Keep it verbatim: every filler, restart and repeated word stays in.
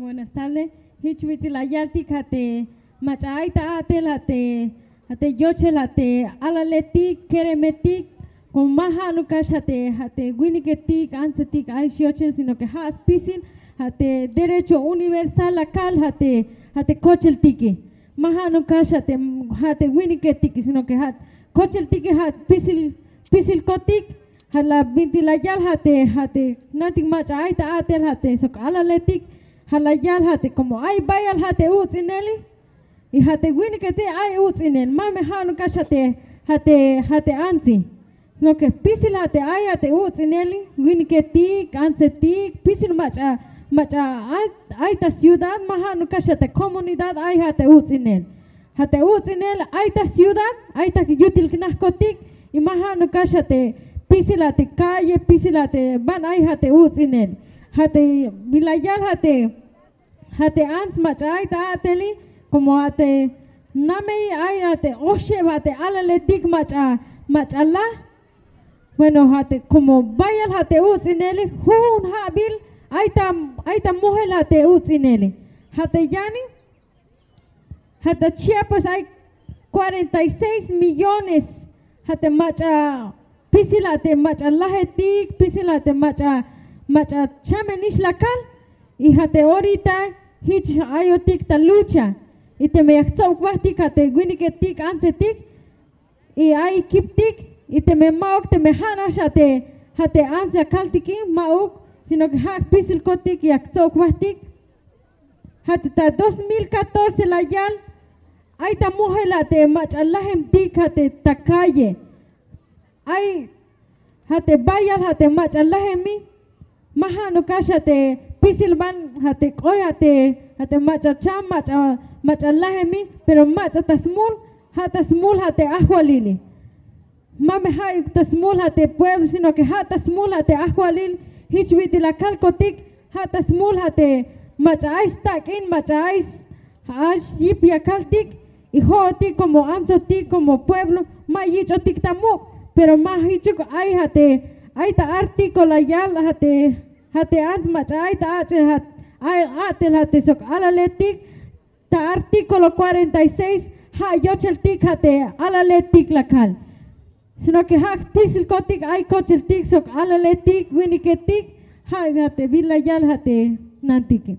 Buenas tardes. Jich bit'il la yaltik ja' te mach'a ay ta a'tel, ja' te, ja' te yochel, ja' te alaletik, keremetik, como ma ja'nuk kax ja' te, ja' te winiketik, antsetik ay xyochel, sino que ja' spisil ja' te derecho universal la kal ja' te, ja' te kocheltike. Ma ja'nuk kax ja' te, ja' te winiketike, sino que ja' kocheltike ja' spisil, spisilkotik. Ja' la bintik la yal ja' te, ja' te nantik mach'a ay ta a'tel, ja' te sok alaletik, ja' la yal ja' te como ay bayal ja' te uts'ineli, y ja' te winiketike ay uts'inel, ma me ja'nuk kax ja' te, ja' te, ja' te antsi. Sino que spisil ja' te ay ja' te uts'ineli, winiketik, antsetik, spisil mach'a, mach'a ay, ay ta ciudad, ma ja'nuk kax ja' te comunidad ay ja' te uts'inel. Ja' te uts'inel ay ta ciudad, ay ta yutil knajkotik, y ma ja'nuk kax ja' te spisil ja' te calle, spisil ja' te ban ay ja' te uts'inel. Ja' te, bin la yal ja' te, ja' te ants mach'a ay ta a'teli, como ja' te namey ay ja' te oxeb ja' te alaletik mach'a, mach'a laj. Bueno, ja' te como bayal ja' te uts'ineli, jujun ja'bil ay ta, ay ta mojel ja' te uts'ineli. Ja' te yani, ja' ta Chiapas ay cuarenta y seis millones ja' te mach'a, spisil ja' te mach'a lajetik, spisil ja' te mach'a, mach'a chamenix la kal. Y ja' te orita jich ayotik ta lucha. Y teme ya jtsob jbajtik ja' te winiketik, antsetik, y ay kiptik, y teme ma'uk, teme ja' nax ja' te, ja' te ants ya kaltike, ma'uk, sino que ja' spisilkotik ya jtsob jbajtik. Ja' te ta dos mil catorce la yal, ay ta mojel ja' te mach'a lajemtik ja' te ta calle. Ay ja' te bayal ja' te mach'a lajemi, ma ja'nuk kax ja' te spisil ban ja' te k'oy ja' te, ja' te mach'a cham, mach'a, mach'a lajemi, pero mach'a ta smul, ja' ta smul ja' te ajwalili. Ma me ja'uk ta smul ja' te pueblo, sino que ja' ta smul ja' te ajwalil, jich bit'il la kalkotik, ja' ta smul ja' te mach'a ay stak'in, mach'a ay s-, ay syip ya kaltik, y jo'otik como antsotik, como pueblo, ma yich'otik ta muk', pero ma jichuk ay ja' te, ay ta artículo la yal ja' te, ja' te ants mach'a ay ta ach'el ja', ay, a'tel ja' te sok alaletik, ta artículo cuarenta y seis, ja' yocheltik ja' te alaletik la kal. Sino que ja' spisilkotik ay kocheltik sok alaletik, winiketik, ja', ja' te bin la yal ja' te nantike.